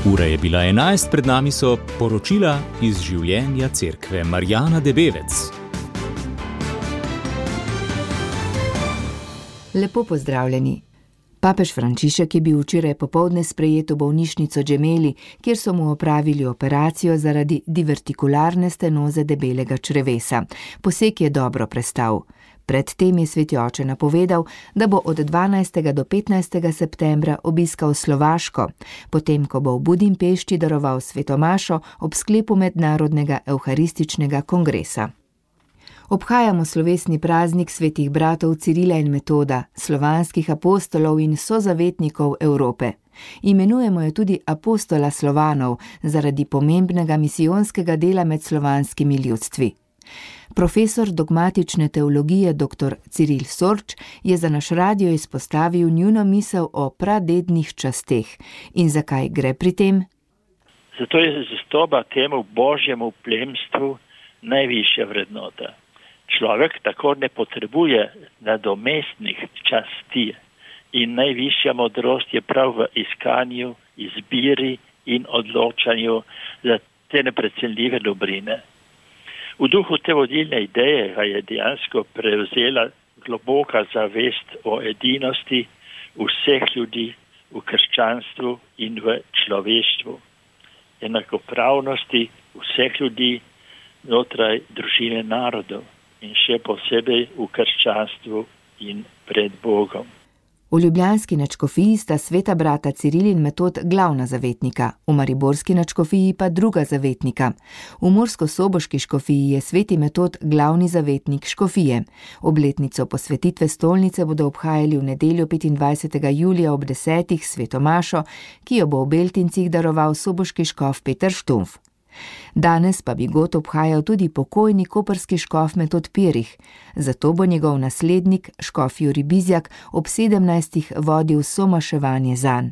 Ura je bila 11, pred nami so poročila iz življenja cerkve. Marjana Debevec. Lepo pozdravljeni. Papež Frančišek je bil včeraj popoldne sprejet v bolnišnico Gemelli, kjer so mu opravili operacijo zaradi divertikularne stenoze debelega črevesa. Poseg je dobro prestal. Predtem je sveti oče napovedal, da bo od 12. do 15. septembra obiskal Slovaško, potem ko bo v Budimpešti daroval svetomašo ob sklepu mednarodnega evharističnega kongresa. Obhajamo slovesni praznik svetih bratov Cirila in Metoda, slovanskih apostolov in sozavetnikov Evrope. Imenujemo jo tudi apostola Slovanov zaradi pomembnega misijonskega dela med slovanskimi ljudstvi. Profesor dogmatične teologije dr. Ciril Sorč je za naš radio izpostavil njuno misel o pradednih časteh. In zakaj gre pri tem? Zato je zvestoba temu božjemu plemstvu najvišja vrednota. Človek tako ne potrebuje nadomestnih časti in najvišja modrost je prav v iskanju, izbiri in odločanju za te neprecenljive dobrine. V duhu te vodilne ideje ga je dejansko prevzela globoka zavest o edinosti vseh ljudi v krščanstvu in v človeštvu, enakopravnosti vseh ljudi znotraj družine narodov in še posebej v krščanstvu in pred Bogom. V ljubljanski nadškofiji sta sveta brata Ciril in Metod glavna zavetnika, v mariborski nadškofiji pa druga zavetnika. V murskosoboški škofiji je sveti Metod glavni zavetnik škofije. Obletnico posvetitve stolnice bodo obhajali v nedeljo 25. julija ob 10. svetomašo, ki jo bo v Beltincih daroval soboški škof Peter Štumf. Danes pa bi god obhajal tudi pokojni koprski škof Metod Pirih, zato bo njegov naslednik, škof Jurij Bizjak, ob 17. vodil somaševanje zanj.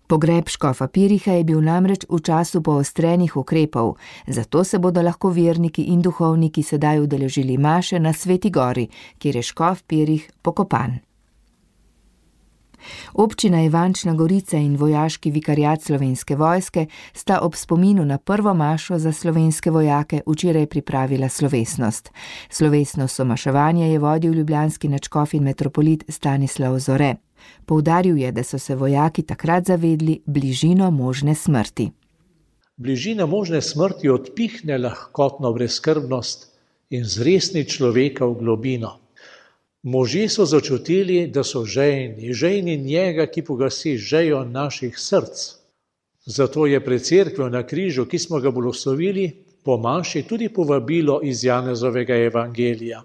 Pogreb škofa Piriha je bil namreč v času poostrenih ukrepov, zato se bodo lahko verniki in duhovniki sedaj udeležili maše na Sveti gori, kjer je škof Pirih pokopan. Občina Ivančna Gorica in vojaški vikariat Slovenske vojske sta ob spominu na prvo mašo za slovenske vojake včeraj pripravila slovesnost. Slovesno somaševanje je vodil ljubljanski nadškof in metropolit Stanislav Zore. Poudaril je, da so se vojaki takrat zavedli bližino možne smrti. Bližina možne smrti odpihne lahkotno brezskrbnost in zresni človeka v globino. Možje so začutili, da so žejni njega, ki pogasi žejo naših src. Zato je pred cerkvijo na križu, ki smo ga blagoslovili, po maši tudi povabilo iz Janezovega evangelija.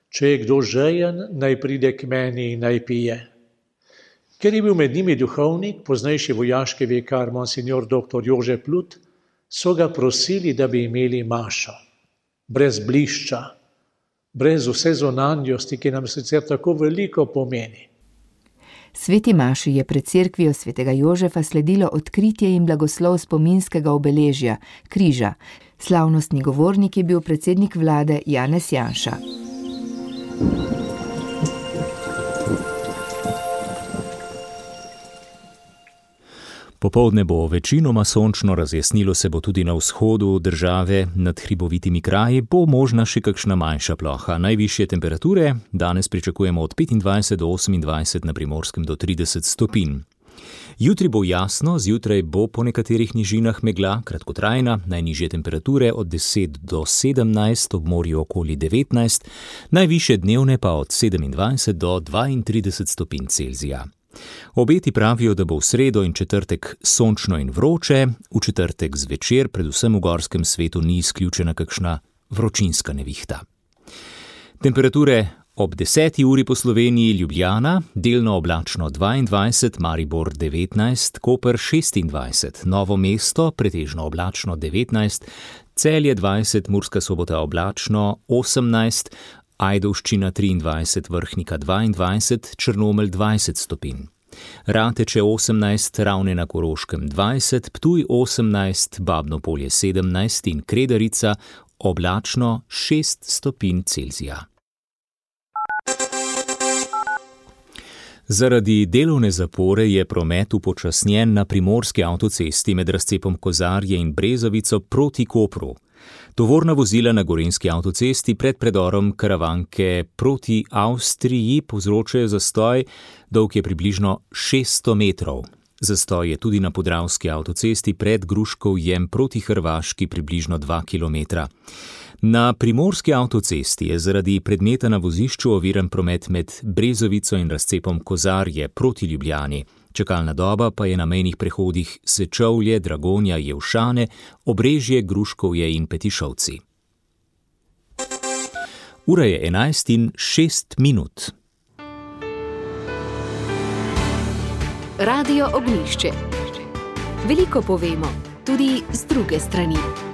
Če je kdo žejen, naj pride k meni in naj pije. Ker je bil med njimi duhovnik, poznejši vojaški vikar monsignor dr. Jože Plut, so ga prosili, da bi imeli mašo. Brez blišča, brez vse zunanjosti, ki nam sicer tako veliko pomeni. Sveti maši je pred cerkvijo svetega Jožefa sledilo odkritje in blagoslov spominskega obeležja, križa. Slavnostni govornik je bil predsednik vlade Janez Janša. Popoldne bo večinoma sončno, razjasnilo se bo tudi na vzhodu države, nad hribovitimi kraji bo možna še kakšna manjša ploha. Najvišje temperature danes pričakujemo od 25 do 28, na Primorskem do 30 stopinj. Jutri bo jasno, zjutraj bo po nekaterih nižinah megla, kratkotrajna, najnižje temperature od 10 do 17, ob morju okoli 19, najvišje dnevne pa od 27 do 32 stopinj Celzija. Obeti pravijo, da bo v sredo in četrtek sončno in vroče, v četrtek zvečer, predvsem v gorskem svetu, ni izključena kakšna vročinska nevihta. Temperature ob 10. uri po Sloveniji: Ljubljana, delno oblačno 22, Maribor 19, Koper 26, Novo mesto pretežno oblačno 19, Celje 20, Murska Sobota oblačno 18, Ajdovščina 23, Vrhnika 22, Črnomelj 20 stopinj. Rateče 18, Ravne na Koroškem 20, Ptuj 18, Babno Polje 17 in Kredarica oblačno 6 stopinj Celzija. Zaradi delovne zapore je promet upočasnjen na primorski avtocesti med razcepom Kozarje in Brezovico proti Kopru. Tovorna vozila na gorenjski avtocesti pred predorom Karavanke proti Avstriji povzročajo zastoj, dolg je približno 600 metrov. Zastoj je tudi na podravski avtocesti pred Gruškovjem proti Hrvaški približno 2 kilometra. Na primorski avtocesti je zaradi predmeta na vozišču oviran promet med Brezovico in razcepom Kozarje proti Ljubljani. Čakalna doba pa je na mejnih prehodih Sečovlje, Dragonja, Jevšane, Obrežje, Gruškovje in Petišovci. Ura je 11:06. Radio Ognjišče. Veliko povemo, tudi z druge strani.